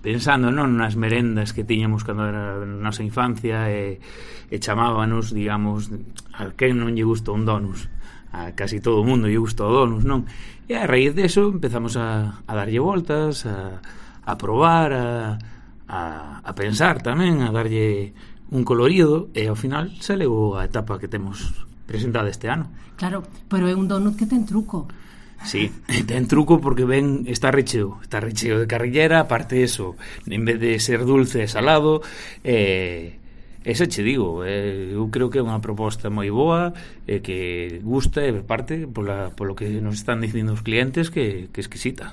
Pensando non nas merendas que tiñamos cando era na nosa infancia e chamábanos, digamos, a quen non lle gusta un donus, a casi todo o mundo lle gusta o donus, non? E a raíz deso empezamos a darlle voltas, a probar, a pensar tamén, a darlle un colorido, e ao final saleu a etapa que temos presentada este ano. Claro, pero é un donut que ten truco. Sí, ten truco porque está recheo de carrillera, aparte eso, en vez de ser dulce e salado, ese che digo, eu creo que é unha proposta moi boa, que gusta, e parte polo que nos están dicindo os clientes que é exquisita.